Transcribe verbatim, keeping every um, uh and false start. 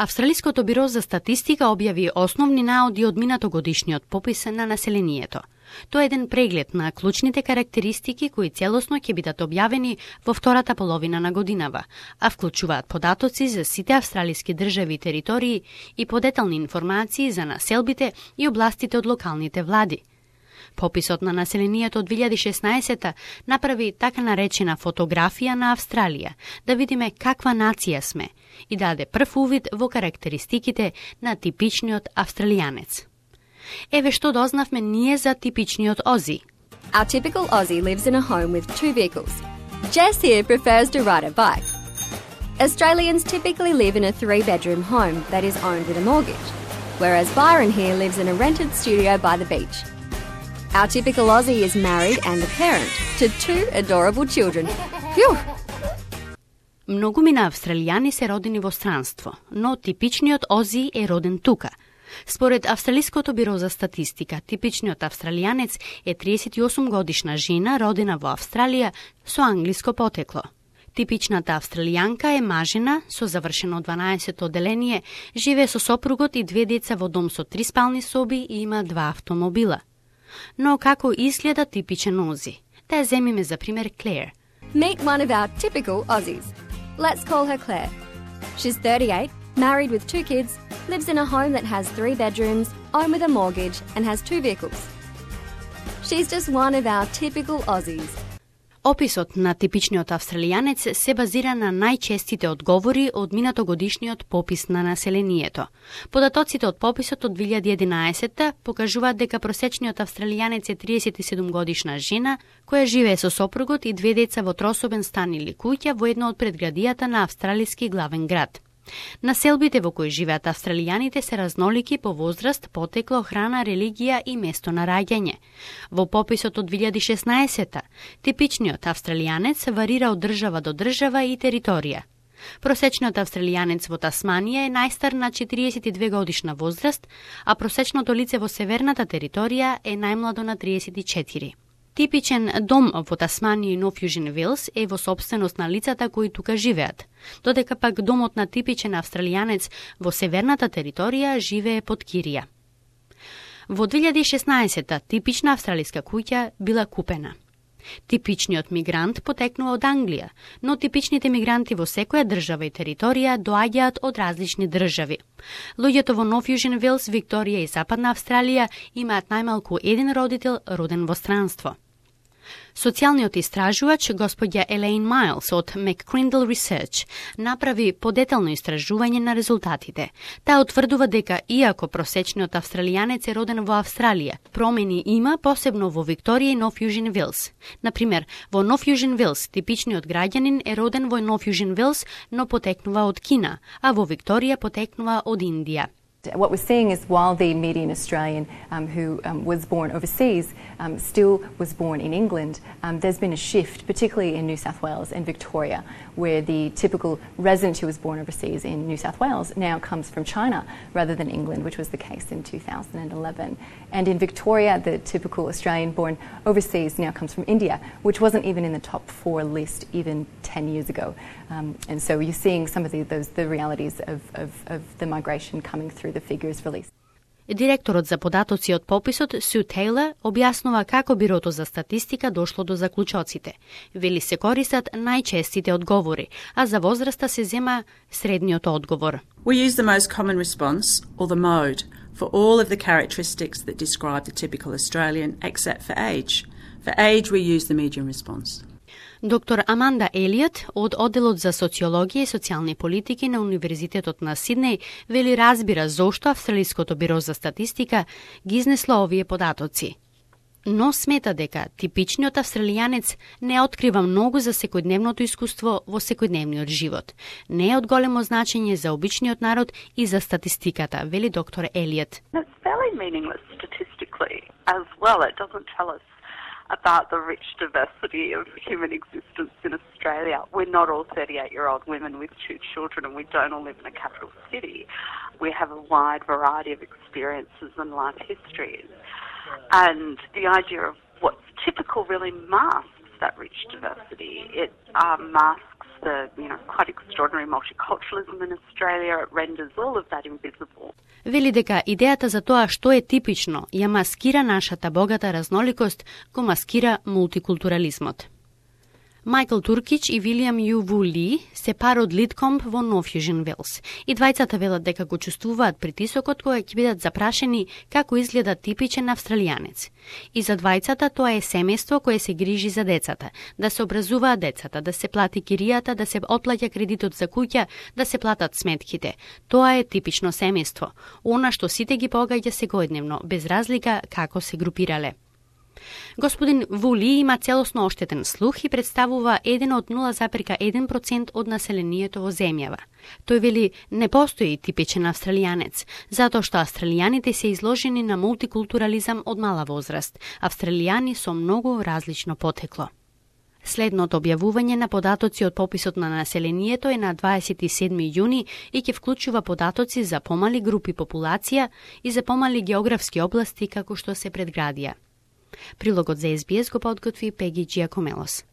Австралиското биро за статистика објави основни наоди од минатогодишниот попис на населението. Тоа е еден преглед на клучните карактеристики кои целосно ќе бидат објавени во втората половина на годинава, а вклучуваат податоци за сите австралиски држави и територии и подетални информации за населбите и областите од локалните влади. Пописот на населението од две илјади и шеснаесета направи така наречена фотографија на Австралија, да видиме каква нација сме и даде прв увид во карактеристиките на типичниот австралијанец. Еве што дознавме ние за типичниот Ози. Our typical Aussie lives in a home with two vehicles. Jess here prefers to ride a bike. Australians typically live in a three-bedroom home that is owned with a mortgage, whereas Byron here lives in a rented studio by the beach. Our typical Aussie is married and a parent to two adorable children. Phew! Многумина австралијани се родени во странство, но типичниот Ози е роден тука. Според Австралиското биро за статистика, типичниот австралијанец е триесет и осум годишна жена родена во Австралија со англиско потекло. Типичната австралијанка е мажена со завршено дванаесетто оделение, живее со сопругот и две деца во дом со три спални соби и има два автомобила. Но како изгледа типичен Ози? Да ја земиме за пример Клер. Meet one of our typical Aussies. Let's call her Claire. She's thirty-eight, married with two kids, lives in a home that has three bedrooms, owned with a mortgage, and has two vehicles. She's just one of our typical Aussies. Описот на типичниот австралијанец се базира на најчестите одговори од минатогодишниот попис на населението. Податоците од пописот од две илјади и единаесета покажуваат дека просечниот австралијанец е триесет и седум годишна жена која живее со сопругот и две деца во трособен стан или куќа во едно од предградијата на австралиски главен град. Населбите во кои живеат австралијаните се разнолики по возраст, потекло, храна, религија и место на раѓање. Во пописот од две илјади и шеснаесета, типичниот австралијанец варира од држава до држава и територија. Просечниот австралијанец во Тасманија е најстар на четириесет и две годишна возраст, а просечното лице во северната територија е најмладо на триесет и четири. Типичен дом во Тасманија и Нов Јужен Велс е во сопственост на лицата кои тука живеат, додека пак домот на типичен австралијанец во северната територија живее под кирија. Во две илјади и шеснаесета типична австралиска куќа била купена. Типичниот мигрант потекнува од Англија, но типичните мигранти во секоја држава и територија доаѓаат од различни држави. Луѓето во Нов Јужен Велс, Викторија и Западна Австралија имаат најмалку еден родител роден во странство. Социјалниот истражувач господја Елейн Майлс од McCrindle Research направи подетално истражување на резултатите. Таа утврдува дека иако просечниот австралијанец е роден во Австралија, промени има посебно во Викторија и Нов Јужен Велс. Например, во Нов Јужен Велс типичниот граѓанин е роден во Нов Јужен Велс, но потекнува од Кина, а во Викторија потекнува од Индија. What we're seeing is while the median Australian um, who um, was born overseas um, still was born in England, um, there's been a shift, particularly in New South Wales and Victoria, where the typical resident who was born overseas in New South Wales now comes from China rather than England, which was the case in two thousand eleven. And in Victoria, the typical Australian born overseas now comes from India, which wasn't even in the top four list even ten years ago. Um, and so you're seeing some of the, those, the realities of, of, of the migration coming through the figures released. Директорот за податоци од пописот Су Тейлор објаснува како бирото за статистика дошло до заклучоците. Вели се користат најчестите одговори, а за возраста се зема средниот одговор. We use the most common response, or the mode, for all of the characteristics that describe the typical Australian, except for age. For age, we use the median response. Доктор Аманда Елиот од Оделот за социологија и социјални политики на Универзитетот на Сиднеј вели разбира зошто Австралиското биро за статистика ги изнесло овие податоци. Но смета дека типичниот австралијанец не открива многу за секојдневното искуство во секојдневниот живот. Не е од големо значење за обичниот народ и за статистиката, вели доктор Елиот. It's fairly meaningless statistically as well. It doesn't tell us about the rich diversity of human existence in Australia. We're not all thirty-eight-year-old women with two children and we don't all live in a capital city. We have a wide variety of experiences and life histories. And the idea of what's typical really masks that rich diversity. It um, masks the, you know, quite extraordinary multiculturalism in Australia. It renders all of that invisible. Вели дека идејата за тоа што е типично ја маскира нашата богата разноликост, го маскира мултикултурализмот. Майкл Туркич и Вилијам Ю Ву Ли се пар од Литкомб во Нов Јужен Велс. И двајцата велат дека го чувствуваат притисокот кога ќе бидат запрашени како изгледа типичен австралијанец. И за двајцата тоа е семејство кое се грижи за децата, да се образуваат децата, да се плати киријата, да се отплаќа кредитот за куќа, да се платат сметките. Тоа е типично семејство, она што сите ги погаѓа секојдневно, без разлика како се групирале. Господин Вули има целосно оштетен слух и представува еден од нула зарез еден процент од населението во земјава. Тој вели не постои типичен австралијанец, затоа што австралијаните се изложени на мултикултурализам од мала возраст, австралијани со многу различно потекло. Следното објавување на податоци од пописот на населението е на дваесет и седми јуни и ќе вклучува податоци за помали групи популација и за помали географски области како што се предградија. Прилогот за Ес Би Ес го подготви Пеги Джиакомелос.